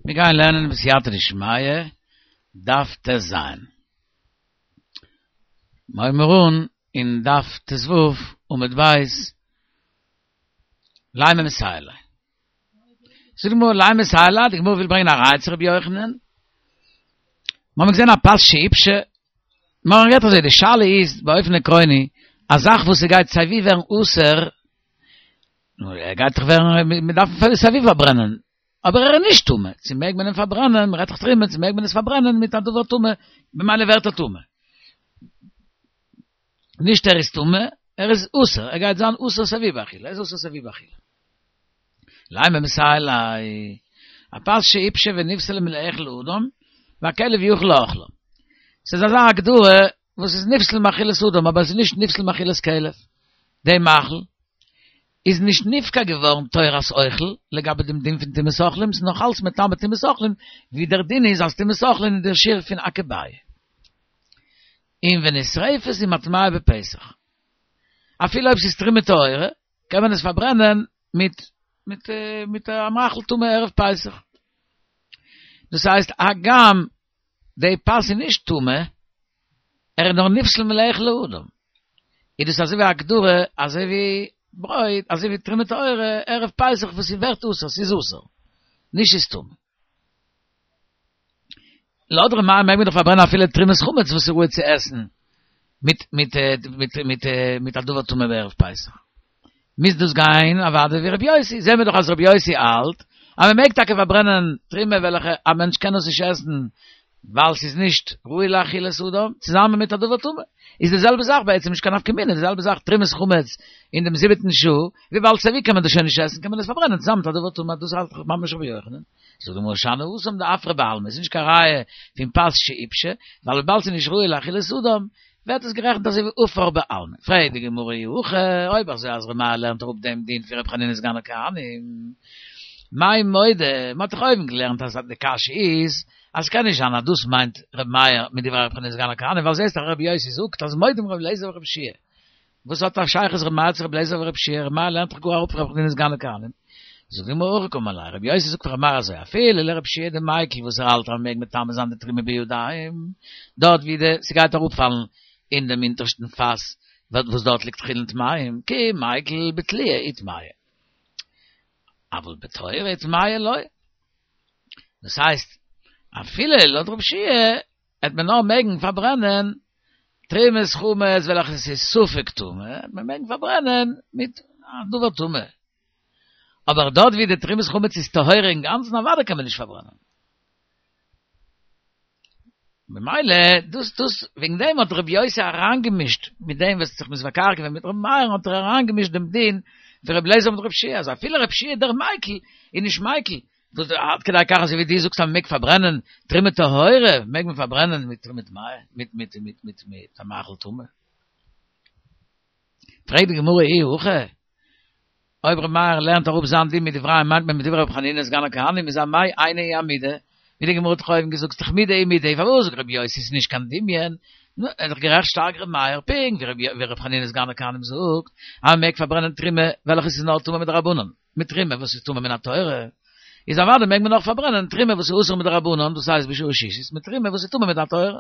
מיר גייען לערנען בסייעתא דשמיא, דף ט"ז. מיר הייבן אן אין דף ט"ו עמוד ב', לימא מסייע ליה. זאגט די גמרא לימא מסייע ליה, די גמרא וויל ברענגען א ראיה צו רבי יוחנן. מיר האבן געזען א פת שעיפשה, מיר האבן גערעדט אזוי, די שאלה איז באופן עקרוני, א זאך וואס ס'גייט סייווי ווערן אסור, נו, ער גייט דאך ווערן, מען דארף אים סייווי פארברענען, אבער ער איז נישט טמא, צו מעג מען אים פארברענען, מען רעדט דאך תרומה, צו מעג מען עס פארברענען מיט א דבר טמא, במילא ווערט ער טמא. נישט ער איז טמא, ער איז אסור, ער גייט זיין אסור סייווי באכילה, ער איז אסור סייווי באכילה. לימא מסייע ליה, א פת שעיפשה ונפסלה מלאכול אדם, והכלב יוכל לאכלה. ס'איז אזא הגדרה וואס איז נפסל מאכילת אדם אבער עס איז נישט נפסל מאכילת כלב, די מאכל איז נישט נפקע געווארן תורת אוכל לגבי דעם דין פון טומאת אוכלים, ס'איז נאך אלץ מטמא טומאת אוכלים, ווי דער דין איז אז טומאת אוכלים איז דער שיעור פון אכובייא. און ונשרפת עם הטמאה בפסח. אפילו אויב ס'איז תרומה טהורה, קען מען עס פארברענען מיט מיט מיט א מאכל טמא ערב פסח. דאס הייסט הגם די פת איז נישט טמא, ער איז נאר נפסל מלאכול לאדם. איז דאס אזוי ווי א הגדרה, אזוי ווי ברויט, אזוי ווי תרומה טהורה, ערב פסח וואס ס'ווערט אסור, ס'איז אסור, נישט ס'איז טמא. לויט ר' מאיר מעג מען דאך פארברענען אפילו תרומת חמץ וואס איז ראוי צו עסן מיט מיט מיט מיט מיט א דבר טמא בערב פסח. מוז דאס גיין אוודאי ווי רבי יוסי, זעהן מיר דאך אז רבי יוסי האלט אז מען מעג טאקע פארברענען תרומה וועלכע א מענטש קען עס נישט עסן ווייל ס'איז נישט ראוי לאכילת אדם, צוזאמען מיט א דבר טמא. איז די זעלבע זאך בעצם נישט קיין נפקא מינה, די זעלבע זאך תרומת חמץ אין דעם זיבעטן שעה, וויבאלד סייווי קען מען דאס שוין נישט עסן קען מען עס פארברענען צוזאמען מיט א דבר טמא, דאס האלט דאך ממש רבי יוחנן. זאגט די גמרא שאני התם דעפרא בעלמא, איז נישט קיין ראיה פון פת שעיפשה, ווייל וויבאלד ס'איז נישט ראוי לאכילת אדם, ווערט עס גערעכנט אזוי ווי עפר בעלמא. פרעגט די גמרא אי הכי, אויב אזוי אז ר' מאיר לערנט אראפ דעם דין פון ר' חנינא סגן הכהנים, מאי מודה, מ'האט דאך אויבן געלערנט אז די קשיא איז אז ס'קען נישט זיין אז דאס מיינט ר' מאיר מיט דברי ר' חנינא סגן הכהנים, ווייל זעסט דאך ר' יוסי זאגט אז מודים ר' אליעזר ור' יהושע וואס האט א שייכות ר' מאיר צו ר' אליעזר ור' יהושע? ר' מאיר לערנט דאך גאר אראפ פון ר' חנינא סגן הכהנים. זאגט די גמרא הכי קאמר ליה, ר' יוסי זאגט פאר ר' מאיר אזוי, אפילו לר' יהושע דמיקל וואס ער האלט אז מ'מעג מטמא זיין די תרומה בידיים, דארט ווי די ס'גייט אראפפאלן אין דעם אונטערשטן פאס וואס דארט ליגט חולין טמאים, כי מיקל בתלואה איטמיא. אבל בטהורה איטמיא לא. דאס הייסט, אפילו לויט ר' יהושע העט מען נאר מעגן פארברענען תרומת חמץ וועלכע עס איז ספק טמא, העט מען מעגן פארברענען מיט א דבר טמא. אבער דארט ווי די תרומת חמץ איז טהורה אינגאנצן אוודאי קען מען נישט פארברענען. ממילא דאס דאס וועגן דעם האט רבי יוסי אריינגעמישט מיט דעם וואס האט זיך מתווכח געווען מיט רבי מאיר האט ער אריינגעמישט דעם דין פון רבי אליעזר מיט רבי יהושע אז אפילו רבי יהושע דער מיקל איז נישט מיקל דאס עד כדי כך אזוי ווי דו זאגסט אז מ'מעג פארברענען תרומה טהורה, מעג מען פארברענען מיט מיט מיט מיט מיט מיט מיט א מאכל טמא. פרעגט די גמרא אי הכי, אויב ר' מאיר לערנט אראפ זיין דין מדבריהם מיינט מען מדברי ר' חנינא סגן הכהנים איז אמאי אינו הוא אמידה, ווי די גמרא האט דאך אויבן געזאגט ס'דאך מידי ומידי, פארוואס זאגט רבי יוסי ס'איז נישט קיין דמיון, נו, איז דאך גערעכט שטארק ר' מאיר, פונקט ווי ר' חנינא סגן הכהנים זאגט אז מ'מעג פארברענען תרומה וועלכע ס'איז נאר טמא מדרבנן. מיט תרומה וואס איז טמא מן התורה, איז אוודאי מעג מען אויך פארברענען תרומה וואס איז אסור מדרבנן, דאס הייסט בשעה שישית, מיט תרומה וואס איז טמא מן התורה.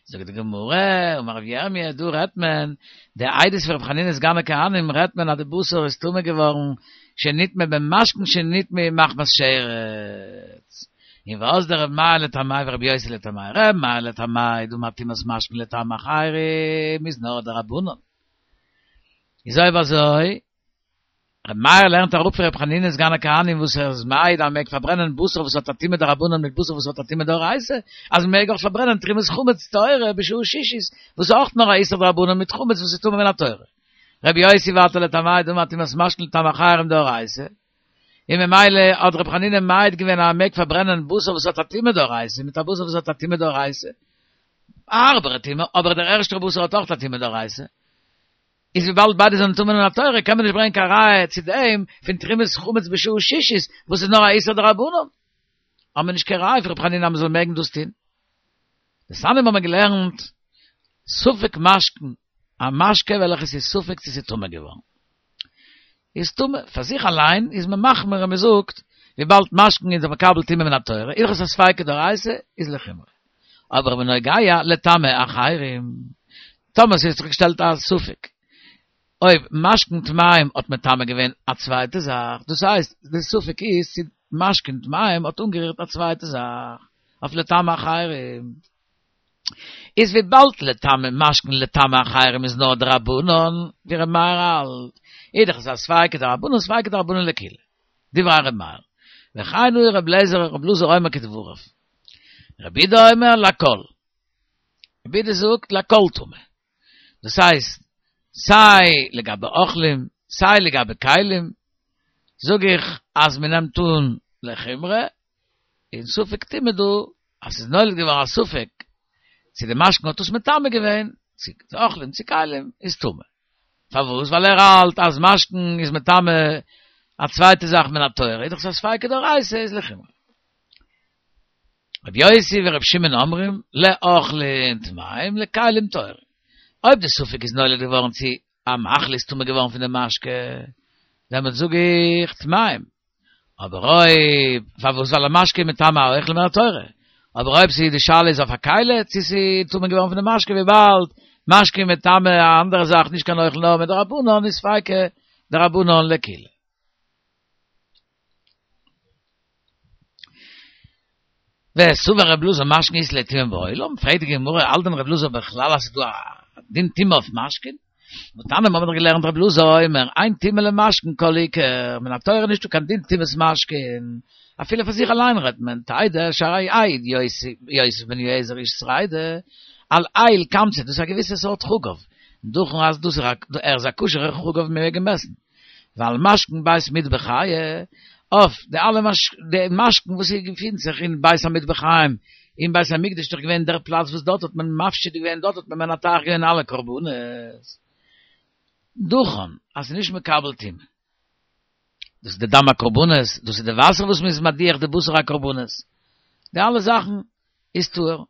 זאגט די גמרא, אמר רבי ירמיה, דא רעדט מען, די עדות פון רבי חנינא סגן הכהנים רעדט מען אז די בשר איז טמא געווארן, שנטמא במשקין שנטמאו מחמת שרץ. און ואזדא רבי מאיר לטעמיה ורבי יוסי לטעמיה, רבי מאיר לטעמיה דאמר טומאת משקין לטמא אחרים איז נאר דרבנן. איז אויב אזוי, ר' מאיר לערנט אראפ פון ר' חנינא סגן הכהנים וואס ער איז מעיד אז מ'מעג פארברענען בשר וואס האט א טומאה דרבנן מיט בשר וואס האט א טומאה דאורייתא, אז מ'מעג אויך פארברענען תרומת חמץ טהורה בשעה שישית וואס איז אויך נאר א איסור דרבנן מיט חמץ וואס איז טמא מן התורה. ר' יוסי ווייטער לטעמיה דאמר טומאת משקין לטמא אחרים דאורייתא, און ממילא האט ר' חנינא מעיד געווען אז מ'מעג פארברענען בשר וואס האט א טומאה דאורייתא מיט א בשר וואס האט א טומאה דאורייתא, א הארבערע טומאה, אבער דער ערשטער בשר האט אויך א טומאה דאורייתא. איז וויבאלד ביידע זענען טמא מן התורה קען מען נישט ברענגען קיין ראיה צו דעם פון תרומת חמץ בשעה שישית וואס איז נאר א איסור דרבנן. האט מען נישט קיין ראיה פון ר' חנינא אז מען זאל מעגן דאס טון. דתניא האט מען געלערנט ספק משקין, א משקה וועלכעס איז ספק צו ס'איז טמא געווארן. איז טמא, פאר זיך אליין איז מען מחמיר און מען זאגט. וויבאלד משקין איז דאך מקבל טומאה מן התורה, איז דאך עס א ספיקא דאורייתא, איז לחומרא. אבער בנוגע לטמא אחרים, טאמער ס'האט זיך געשטעלט א ספק אויב משקין טמאים האט מטמא געווען א צווייטע זאך, דאס הייסט די ספק איז צו משקין טמאים האט אנגערירט א צווייטע זאך אויף לטמא אחרים, איז וויבאלד לטמא משקין לטמא אחרים איז נאר דרבנן, ווי ר' מאיר האלט, איז דאך עס א ספיקא דרבנן ספיקא דרבנן לקולא, דברי ר' מאיר, וכן הוא ר' אליעזר ר' אלעזר אומר כדבריו. רבי יהודה אומר לכל. רבי יהודה זאגט לכל טמא. דאס הייסט, סיי לגבי אוכלים, סיי לגבי כלים, זאג איך אז מען נעמט אן לחומרא, און ספק טומאה דא, אז ס'איז נולד געווארן א ספק צו די משקין האט עס מטמא געווען, צו אוכלים צו כלים, איז טמא. פארוואס? ווייל ער האלט אז משקין איז מטמא א צווייטע זאך מן התורה, איז דאך עס א ספיקא דאורייתא איז לחומרא. רבי יוסי ורבי שמעון אומרים, לאוכלין טמאים לכלים טהורים. אויב די ספק איז נולד געווארן צו א מאכל איז טמא געווארן פון די משקה, דעמאלט זאג איך טמאים. אבער אויב, פארוואס? ווייל א משקה איז מטמא א אוכל מן התורה. אבער אויב ס'איז די שאלה איז אויף א כלי, צו ס'איז טמא געווארן פון די משקה, וויבאלד משקה איז מטמא א אנדערע זאך נישט קיין אוכל נאר מדרבנן איז ספיקא דרבנן לקולא. וסבר רב אלעזר משקין אית להו טומאה בעולם, פרעגט די גמרא האלט דען רב אלעזר בכלל אז ס'איז דא א דין טומאה אויף משקין? והתניא מ'האבן דאך געלערנט רב אלעזר אומר אין טומאה למשקין כל עיקר, מן התורה איז נישטא קיין דין טומאת משקין, אפילו פאר זיך אליין רעדט מען, תדע שהרי העיד יוסף בן יועזר איש צרידה על איל קמצא, דאס איז א געוויסע סארט חגב, דוכן אז דאס איז ער איז א כשר'ער חגב מ'מעג אים עסן. ועל משקין בית מטבחיא, אויף די אלע די משקין וואס געפינט זיך אין בית המטבחיים, אין בית המקדש איז דאך געווען דער פלאץ וואס דארט האט מען מפשיט געווען, דארט האט מען מנתח געווען אלע קרבנות. דוכן, אז ס'איז נישט מקבל טומאה. דאס איז די דם הקרבנות, דאס איז די וואסער וואס מ'איז מדיח די בשר הקרבנות. די אלע זאכן איז טהור.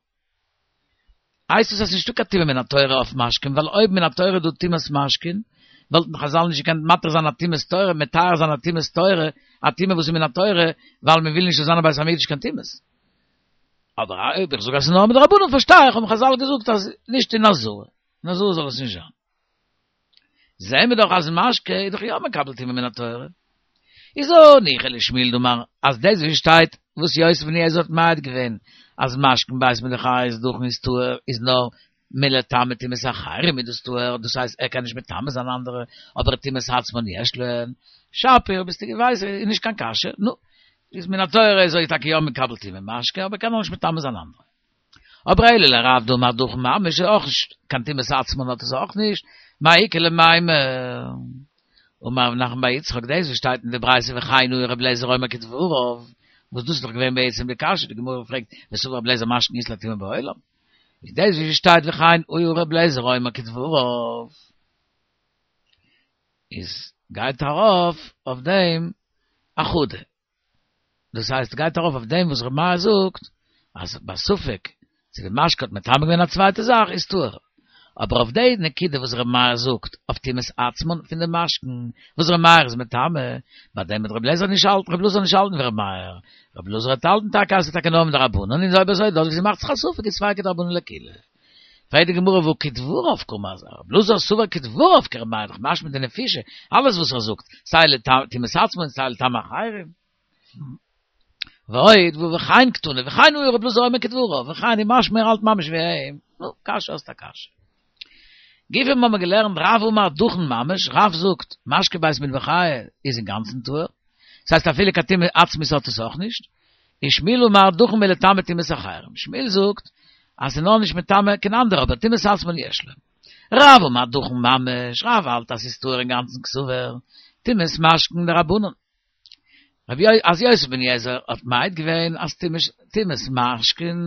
הייסט עס אז ס'נישטא קיין טומאה מן התורה אויף משקין, ווייל אויב מן התורה איז דא טומאת משקין, וואלטן חזל נישט געקענט מתיר זיין א טומאת תורה, מטהר זיין א טומאת תורה, א טומאה וואס איז מן התורה, ווייל מען וויל נישט ס'זאל זיין אין בית המקדש קיין טומאות. אבער אויב איך זאג אז ס'איז נאר מדרבנן פארשטיי איך האבן חזל געזאגט אז נישט אין עזרה, אין עזרה זאל עס נישט זיין. זעהן מיר דאך אז משקה איז דאך יא מקבל טומאה מן התורה. איז הניחא לשמואל דאמר אז דאס וואס שטייט וואס יוסף בן יועזר האט מעיד געווען אז משקין בית מטבחיא איז דוכן איז טהור איז נאר מלטמא טומאת אחרים איז דאס טהור דאס הייסט ער קען נישט מטמא זיין אנדערע אבער טומאת עצמן יש להן שפיר ביסטו געוויס איז נישט קיין קשיא נו איז מן התורה איז ער טאקע יא מקבל טומאה משקה אבער קען נאר נישט מטמא זיין אנדערע. אבער אלא לרב דאמר דוכן ממש איז אויך נישט קיין טומאת עצמן האט עס אויך נישט, מאי איכא למימר? אמר רב נחמן בר יצחק דאס וואס שטייט אין די ברייתא וכן הוא רבי אליעזר אומר כדבריו, וואס דאס איז דאך געווען בעצם די קשיא, די גמרא פרעגט וסבר רבי אליעזר משקין אית להו טומאה בעולם, איז דאס וואס שטייט וכן הוא רבי אליעזר אומר כדבריו איז גייט ארויף אויף דעם אחדא. דאס הייסט גייט ארויף אויף דעם וואס ר' מאיר זאגט אז בספק צו די משקה האט מטמא געווען א צווייטע זאך איז טהור, אבער אויף די נקודה וואס ר' מאיר זאגט אויף טומאת עצמן פון די משקין וואס ר' מאיר איז מטמא, ביי דעם וועט ר' אליעזר נישט האלטן, ר' אלעזר נישט האלטן ווי ר' מאיר, ר' אלעזר וועט האלטן טאקע אז ס'איז טאקע נאר מדרבנן און אויב אזוי דארט ווי ס'מאכט זיך א ספק איז ספיקא דרבנן לקולא. פרעגט די גמרא והא כדבריו קאמר אז ר' אלעזר סבר כדבריו כר' מאיר דאך משמע דנפישי אלעס וואס ער זאגט סיי לטומאת עצמן סיי לטמא אחרים. ועוד והא וכן קתני וכן הוא ר' אלעזר אומר כדבריו וכן איז משמע ער האלט ממש ווי אים, נו, קשיא האסט א קשיא. גופא האבן מיר געלערנט רב אמר דוכן ממש, רב זאגט משקה בית מטבחיא איז אינגאנצן טהור, ס'הייסט אפילו קיין טומאה עצמית האט עס אויך נישט, און שמואל אמר דוכן מלטמא טומאת אחרים, שמואל זאגט אז ס'איז נאר נישט מטמא קיין אנדערע אבער טומאת עצמן יש להם. רב אמר דוכן ממש, רב האלט אז ס'איז טהור אינגאנצן קסבר, טומאת משקין דרבנן. רבי אז יוסף בן יועזר האט מעיד געווען אז טומאת משקין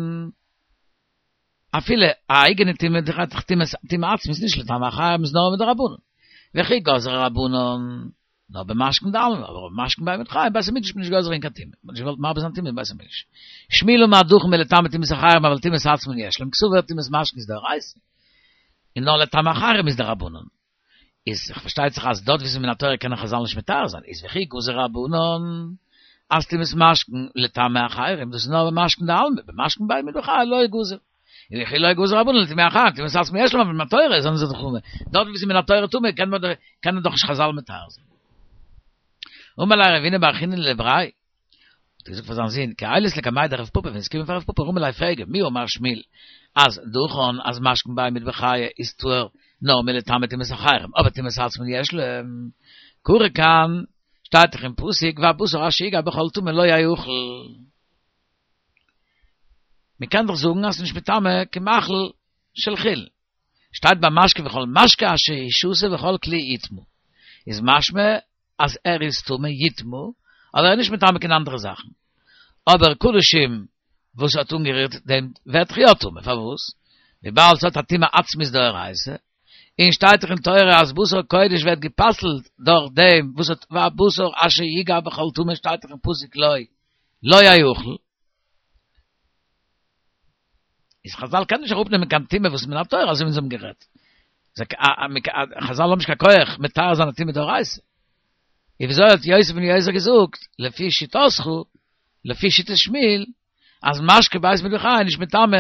אפילו א אייגענע טומאה דאך טומאת טומאה עצמית נישט לטמא אחרים איז נאר מדרבנן. וכי גזרו רבנן נאר במשקין דעלמא, אבער אויף משקין בית מטבחיא אין בית המקדש איז מען נישט גוזר אין קיין טומאה, מען האט נישט געוואלט מרבה זיין טומאה אין בית המקדש. שמואל אמר דוכן מלטמא טומאת אחרים אבל טומאת עצמן יש להם קסבר טומאת משקין איז דאורייתא, און נאר לטמא אחרים איז דרבנן. איז פארשטייט זיך אז דארט ווי ס'איז מן התורה קענען חזל נישט מטהר זיין, איז וכי גזרו רבנן. אז טומאת משקין לטמא אחרים, דאס איז נאר במשקין דעלמא, במשקין בית מטבחיא לא גזור. און וכי לא גזור רבנן לטמא אחרים, טומאת עצמו יש לומר, מן התורה זענען זיי דאך טמא. דארט וואו ס'איז מן התורה טמא קען מען דאך קענען דאך נישט חזל מטהר זיין. אמר ליה רבינא בר חיננא לבריה, האט ער געזאגט פאר זיין זון, כי עיילת לקמיה דרב פפא, ווען עס קומען פאר רב פפא רמי ליה פרעג אים, מי אמר שמואל, אז דכן אז משקין בי מטבחיא איז טהור נאר מלטמא טומאת אחרים, אבער טומאת עצמן יש לומר, קרא כאן, שטייט דאך אין פסוק והבשר אשר יגע בכל טמא לא יאכל. מען קען דאך זאגן אז ס'איז נישט מטמא כמאכל של חולין. שטייט ביי משקה וכל משקה אשר ישתה בכל כלי יטמא. איז משמע אז ער איז טמא יטמא, אבער ער איז נישט מטמא קיין אנדערע זאכן. אבער קדשים וואס האט אנגערירט דעם ווערט דאך יא טמא, פארוואס? וויבאלד ס'האט א טומאה עצמית דאורייתא, און שטייט דאך אין תורה אז בשר קודש ווערט גע'פסל'ט דורך דעם וואס האט והבשר אשר יגע בכל טמא שטייט דאך אין פסוק לא לא יאכל. איז חזל קען נישט אראפנעמען קיין טומאה וואס איז מן התורה אזוי ווי אונז האבן גערעדט. חזל האבן נישט קיין כח מטהר זיין א טומאה דאורייתא. איז וויאזוי האט יוסף בן יועזר געזאגט, לפי שיטתך, לפי שיטת שמואל, אז משקה בית מטבחיא איז נישט מטמא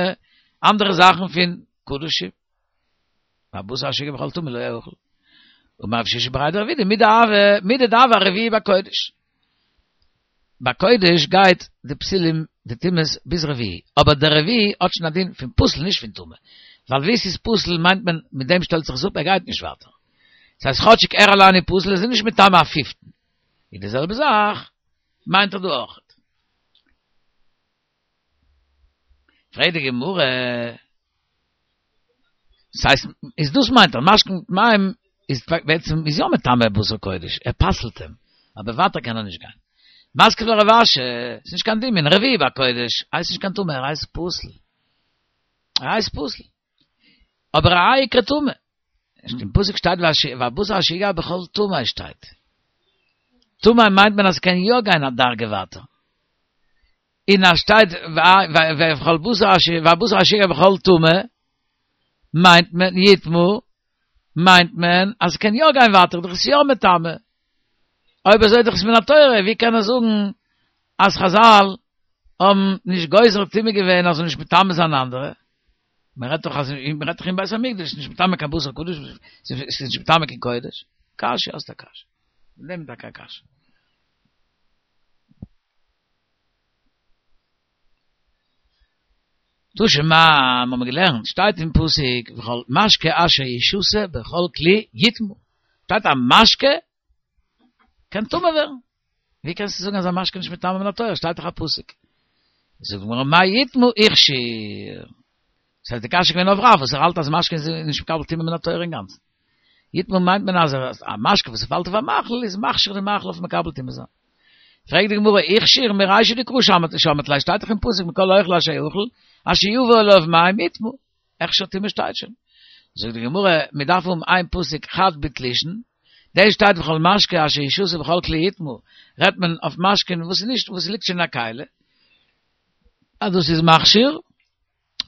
אנדערע זאכן פון קדשים. והבשר אשר יגע בכל טמא לא יאכל. אמר רב שישא בריה דרב אידי מידי דהוה ארביעי בקודש. ביי קודש גייט די פסולים די טומאות ביז רביעי, אבער דער רביעי האט שוין א דין פון פסול נישט פון טמא, ווייל ווי עס איז פסול מיינט מען מיט דעם שטעלט זיך עס אפ ער גייט נישט ווייטער, דאס הייסט כאטשיג ער אליין איז פסול איז ער נישט מטמא א פיפטן, איז די זעלבע זאך מיינט ער דא אויכעט. פרעגט די גמרא, ס'הייסט, איז דאס מיינט ער, משקין טמאים איז בעצם איז יא מטמא בשר קודש, ער פסל'ט אים, אבער ווייטער קען ער נישט גיין. מתקיף לה רב אשי, ס'איז נישט קיין דמיון, רביעי בקודש הייסט נישט קיין טמא, ער הייסט פסול. ער הייסט פסול. אבער האי איקרי טמא. אין פסוק שטייט והבשר אשר יגע בכל טמא שטייט. טמא מיינט מען אז ס'קען יא גיין א דרגה ווייטער. און אז שטייט וכל בשר אשר והבשר אשר יגע בכל טמא מיינט מען יטמא מיינט מען אז ס'קען יא גיין ווייטער דאך איז יא מטמא. אויב אזוי דאך איז מן התורה ווי קען ער זאגן אז חזל האבן נישט גוזר טומאה געווען אז זאל נישט מטמא זיין אנדערע? מען רעדט דאך אז מען רעדט דאך אין בית המקדש נישט מטמא קיין בשר קודש ס'איז נישט מטמא קיין קודש. קשיא האסט א קשיא. נעם טאקע א קשיא. תא שמע, האבן מיר געלערנט, שטייט אין פסוק, וכל משקה אשר ישתה בכל כלי יטמא. שטייט א משקה קען טמא ווערן. ווי קענסטו זאגן אז א משקה נישט מטמא מן התורה, שטייט דאך א פסוק. זאגט די גמרא מאי יטמא הכשיר. דאס הייסט די קשיא איז געווען אויף רב וואס ער האלט אז משקה איז נישט מקבל טומאה מן התורה אינגאנצן. יטמא מיינט מען אז א משקה וואס פאלט אויף א מאכל איז מכשיר די מאכל אויף מקבל טומאה זיין. פרעגט די גמרא הכשיר מרישא דקרא שמעת ליה שטייט דאך אין פסוק מכל האוכל אשר יאכל אשר יבא עליו מים יטמא. הכשר טומאה שטייט שוין. זאגט די גמרא מען דארף האבן איין פסוק חד בתלושין, דאס שטייט וכל משקה אשר ישתה בכל כלי יטמא, רעדט מען אויף משקין וואס איז נישט וואס ליגט שוין אין א כלי, אז דאס איז מכשיר,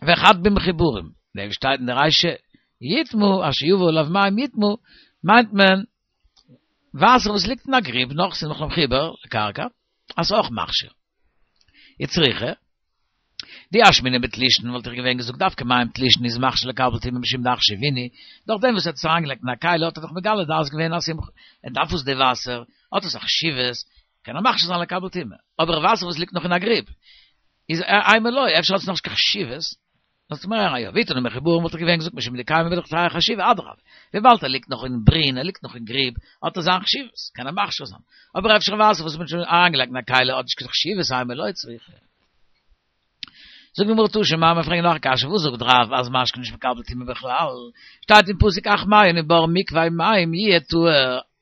וחד במחוברים, דעם שטייט אין די רישא יטמא אשר יבא עליו מים יטמא, מיינט מען וואסער וואס ליגט אין א גריב נאך ס'איז נאך מחובר לקרקע, אז ס'איז אויך מכשיר. וצריכא, דאי אשמעינן בתלושין וואלט איך געווען געזאגט דווקא מים תלושין איז מכשיר לקבל טומאה משום דאחשבינהו, דורך דעם וואס ער האט עס אריינגעלייגט אין א כלי האט ער דאך מגלה דעת געווען אז ער דארף עס די וואסער, האט עס א חשיבות, קען ער מכשיר זיין לקבל טומאה. אבער וואסער וואס ליגט נאך אין א גריב, איז אימא לא, אפשר האט עס נאך נישט קיין חשיבות, זאלסט מיר הערן א יא, ואי תנא מחוברים וואלט איך געווען געזאגט משום דקיימי בדוכתייהו חשיבי אדרבה, וויבאלד ער ליגט נאך אין ברין, ער ליגט נאך אין גריב, האט ער זיין חשיבות, קען ער מכשיר זיין. אבער אפשר וואסער וואס מ'האט שוין אריינגעלייגט אין א כלי האט נישט קיין חשיבות אימא לא צריכא. זאגט די גמרא תא שמע, מיר פרעגן נאך א קשיא, וואס זאגט רב אז משקה נישט מקבל טומאה בכלל? שטייט אין פסוק אך מעיין ובור מקווה מים יהיה טהור,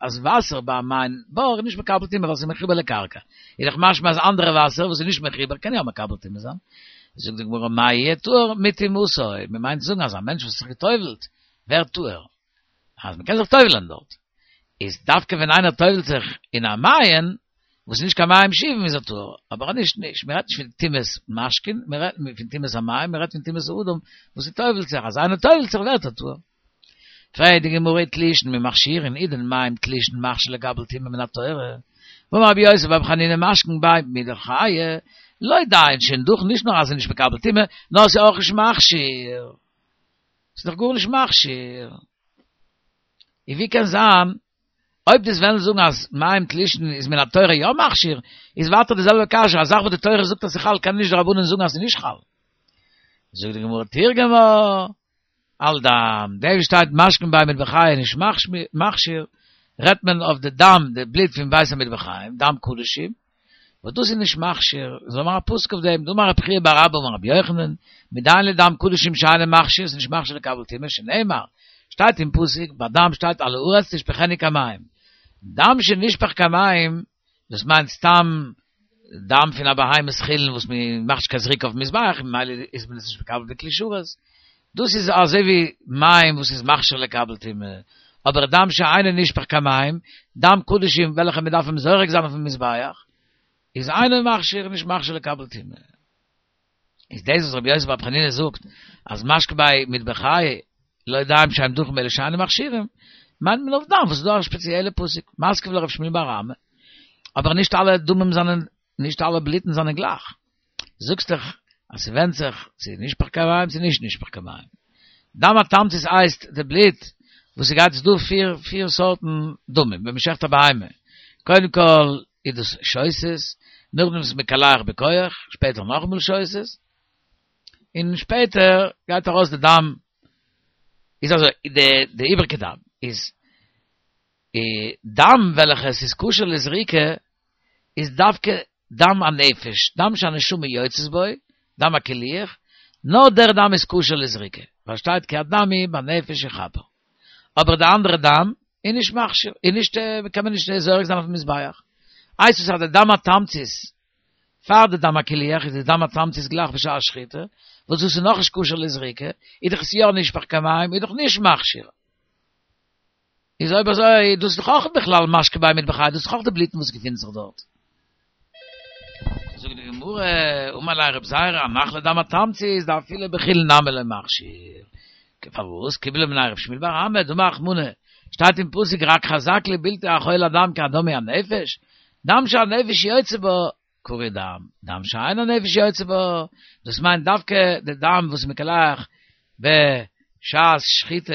אז וואסער ביי א מעיין בור איז נישט מקבל טומאה ווייל ס'איז מחובר לקרקע, איז דאך משמע אז אנדערע וואסער וואס איז נישט מחובר קען יא מקבל טומאה זיין. זאגט די גמרא מאי יהיה טהור מטומאתו, מ'מיינט זאגן אז א מענטש וואס האט זיך גע'טובל'ט ווערט טהור, אז מ'קען זיך טובל'ען דארט, איז דווקא ווען איינער טובל'ט זיך אין א מעיין וואס איז נישט קיין מים שאובין איז ער טהור, אבער אז נישט נישט, מ'רעדט נישט פון טומאת משקין, מ'רעדט פון טומאת המים, מ'רעדט פון טומאת האדם וואס ס'טובל'ט זיך, אז איינער טובל'ט זיך ווערט ער טהור. פרעגט די גמרא תלושין מי מכשירין איז דען מים תלושין מכשיר לקבל טומאה מן התורה? ואמר רבי יוסי ברבי חנינא משקין ביה מדחיא, לא דיין שאין דוכן נישט נאר אז ס'איז נישט מקבל טומאה, נאר ס'איז אויך נישט מכשיר. ס'איז דאך גארנישט מכשיר. און ווי קען זיין אויב דו'סט וועלן זאגן אז מים תלושין איז מן התורה יא מכשיר, איז ווייטער די זעלבע קשיא, א זאך וואס די תורה זאגט אז ס'איז חל קען נישט די רבנן זאגן אז ס'איז נישט חל. זאגט די גמרא תרגמה על דם, דאס וואס שטייט משקין ביה מטבחיא נישט מכשיר, רעדט מען אויף די דם, די בלוט פון בית המטבחיים, דם קדשים, וואס דאס איז נישט מכשיר, זאל מאכן א פסוק אויף דעם, דאמר רבי חייא בר אבא אמר רבי יוחנן, מדיין לדם קדשים שאינו מכשיר, ס'איז נישט מכשיר לקבל טומאה, שנאמר, שטייט אין פסוק, ביי דם שטייט על הארץ תשפכנו כמים, דם שנשפך כמים, דאס מיינט סתם דם פון א בהמת חולין וואס מען מאכט נישט קיין זריקה אויפן מזבח, ממילא איז מען עס נישט מקבל בכלי שרת, דאס איז אזוי ווי מים וואס איז מכשיר לקבל טומאה, אבער דם שאינו נשפך כמים, דם קדשים וועלכע מען דארף אים זורק זיין אויפן מזבח, איז אינו מכשיר, נישט מכשיר לקבל טומאה. איז דאס וואס רבי יוסי ברבי חנינא זאגט אז משקין ביה מטבחיא לא דיין שאין דכן באלו שאינן מכשירים, מיינט מען אויף דם וואס איז דא א שפעציעלע פסוק, מתקיף לה רב שמואל בר אמי, אבער נישט אלע דמים זענען, נישט אלע בלוטן זענען גלייך. זאגסט דאך אז ס'ווענדט זיך צו נשפך כמים צו נישט נשפך כמים. דם התמצית הייסט די בלוט וואס ס'גייט ס'דא פיר פיר סארטן דמים ווען מ'שעכט א בהמה, קודם כל איז דאס שותת, נאכדעם איז מקלח בכח, שפעטער נאכאמאל שותת, און שפעטער גייט ארויס די דם, איז אזוי די די איבריגע דם איז דם וועלכע עס איז כשר לזריקה איז דווקא דם הנפש, דם שהנשמה יוצאת בו, דם הקילוח, נאר דער דם איז כשר לזריקה, ווייל שטייט כי הדם הוא בנפש יכפר. אבער די אנדערע דם איז נישט מכשיר, איז נישט, קען מען נישט זורק זיין אויפן מזבח. הייסט עס אז די דם התמצית, פאר די דם הקילוח איז די דם התמצית גלייך בשעת שחיטה, וואס דאס איז נאכנישט כשר לזריקה, איז דאך עס יא נשפך כמים, איז דאך נישט מכשיר. איז אויב אזוי, דאס איז דאך אויך בכלל משקין ביה מטבחיא, דאס איז דאך אויך די בלוטן וואס געפינט זיך דארט. זאגט די גמרא, אמר ליה רב זירא, הנח לדם התמצית, דאפילו בחולין נמי לא מכשיר. פארוואס? קיבלה מיניה רב שמואל בר אמי, דאמר רחמנא, שטייט אין פסוק רק חזק לבלתי אכול הדם כי הדם הוא הנפש, דם שהנפש יוצא בו, קרוי דם, דם שאין הנפש יוצא בו, דאס מיינט דווקא די דם וואס מקלח בשעת שחיטה,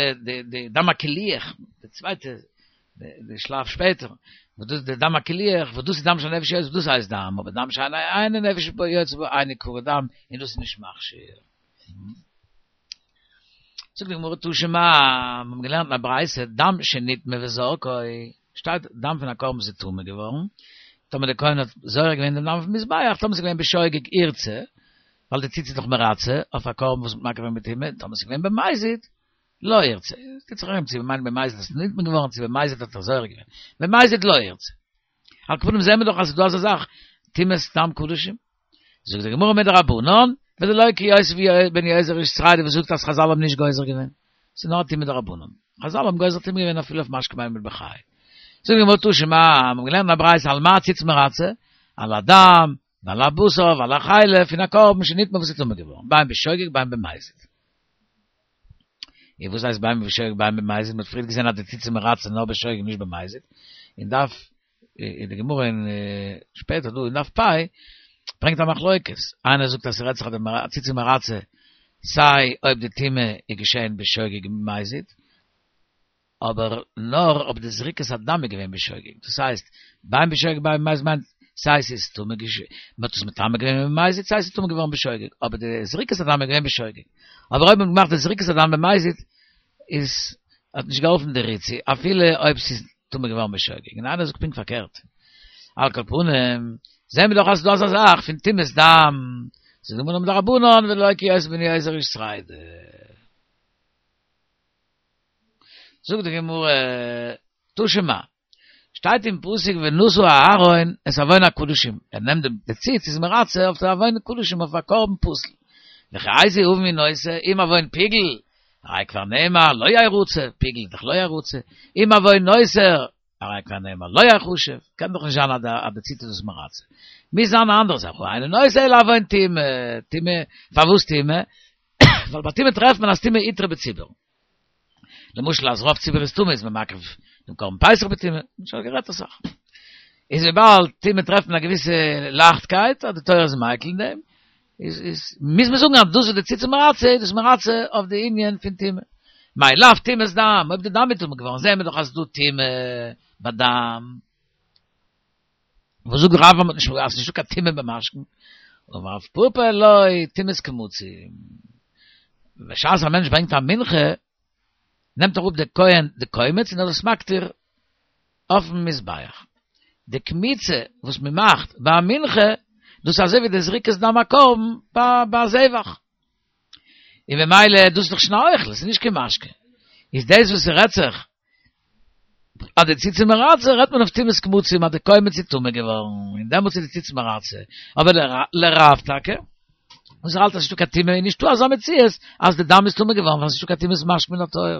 די דם הקילוח, די צווייטע, די שלב שפעטער, וואס דאס די דם הקילוח, וואס דאס איז דם שהנפש יוצא בו, דאס הייסט דם, אבער דם שאין הנפש יוצא בו, אינו קרוי דם, און דאס איז נישט מכשיר. זאגט די גמרא תא שמע, מיר האבן געלערנט אין א ברייתא, דם שנטמא וזרקו, שטייט דם פון א קרבן וואס איז טמא געווארן, טאמער דער כהן האט זורק געווען דעם דם אויפן מזבח, טאמער ס'איז געווען בשוגג ירצה, ווייל די ציץ איז דאך מרצה אויף א קרבן וואס מ'האט מקריב געווען בטומאה, טאמער ס'איז געווען במזיד, לא ירצה, טוט זיך ארום צו מ'מיינט במזיד אז ס'איז נטמא געווארן צו במזיד האט ער זורק געווען, במזיד לא ירצה. על כל פנים זעהן מיר דאך אז ס'איז דא אזא זאך, טומאת דם קדשים. זאגט די גמרא מדרבנן, ולא כיוסף בן יועזר איש צרידה וואס זאגט אז חזל האבן נישט גוזר געווען. ס'איז נאר א טומאה דרבנן. חזל האבן גוזר טומאה געווען אפילו אויף משקין ביה מטבחיא. זאגט די גמרא תא שמע, מיר האבן געלערנט אין א ברייתא על מה הציץ מרצה, על הדם, ועל הבשר, ועל החלב, פון א קרבן שנטמא וואס איז טמא געווארן, בין בשוגג בין במזיד. און וואס הייסט בין בשוגג בין במזיד? מ'האט פריער געזען אז די ציץ איז מרצה נאר בשוגג נישט במזיד. אין דף אין די גמרא אין שפעטער דא אין דף פ' ברענגט א מחלוקת, איינער זאגט אז ס'רעדט זיך אז די ציץ איז מרצה סיי אויב די טומאה איז געשען בשוגג און במזיד, אבער נאר אויב די זריקת הדם איז געווען בשוגג, דאס הייסט בין בשוגג בין במזיד מיינט סיי ס'איז טמא געש מ'האט עס מטמא געווען במזיד סיי ס'איז טמא געווארן בשוגג, אבער די זריקת הדם איז געווען בשוגג, אבער אויב מ'האט געמאכט די זריקת הדם במזיד איז האט נישט געהאלפן די ריצוי אפילו אויב ס'איז טמא געווארן בשוגג, און איינער זאגט פונקט פארקערט. על כל פנים, זעהן מיר דאך אז ס'איז דא אזא זאך פון טומאת דם, זאגט די גמרא מדרבנן ולא כיוסי בן יועזר איש צרידה. זאגט די גמרא, תא שמע, שטייט אין פסוק ונשא אהרן את עון הקדשים, ער נעמט די ציץ איז מרצה אויף די עון הקדשים אויף א קרבן פסול, וכי איזה עון הוא נושא, אם עון פיגול, הרי כבר נאמר לא ירצה, פיגול איז דאך לא ירצה, אם עון נותר, הרי כבר נאמר לא יחשב, קען דאך נישט זיין אז די ציץ איז דאס מרצה. מוז זיין א אנדערע זאך, הא אינו נושא אלא עון טומאה, טומאה, פארוואס טומאה? ווייל ביי טומאה טרעפט מען אז טומאה איתרע בציבור. למשל אז רוב ציבור איז טמא איז מען מקריב דעם קרבן פסח בטומאה, שוין גערעדט אסאך. איז וויבאלד טומאה טרעפט מען א געוויסע לייכטקייט אז די תורה איז מיקל אין דעם, איז איז מוז מען זאגן אז דאס איז די ציץ מרצה, איז דאס מרצה אויף די ענין פון טומאה. מאי לאו טומאת דם, אויב די דם איז טמא געווארן זעהן מיר דאך אז ס'איז דא טומאה ביי דם. וואס זאגט רב אז מ'האט נישט אז ס'נישטא קיין טומאה במשקין? אמר רב פפא לא, טומאת קמצים. בשעת א מענטש ברענגט א מנחה, נעמט אראפ דער כהן די קומץ און ער איז עס מקטיר אויפן מזבח. די קמיצה וואס מען מאכט ביי א מנחה, דאס איז אזוי ווי די זריקת דם הקרבן ביי א זבח. און במילא דאס איז דאך שוין א אוכל, עס איז נישט קיין משקה. איז דאס וואס ס'רעדט זיך אז די ציץ איז מרצה, רעדט מען אויף טומאת קמצים אז די קומץ איז טמא געווארן, און דעמאלטס איז די ציץ מרצה. אבער לרב טאקע, וואס ער האלט אז ס'נישטא קיין טומאה, איז נישטא אזא מציאות אז די דם איז טמא געווארן ווייל ס'נישטא קיין טומאת משקה מן התורה.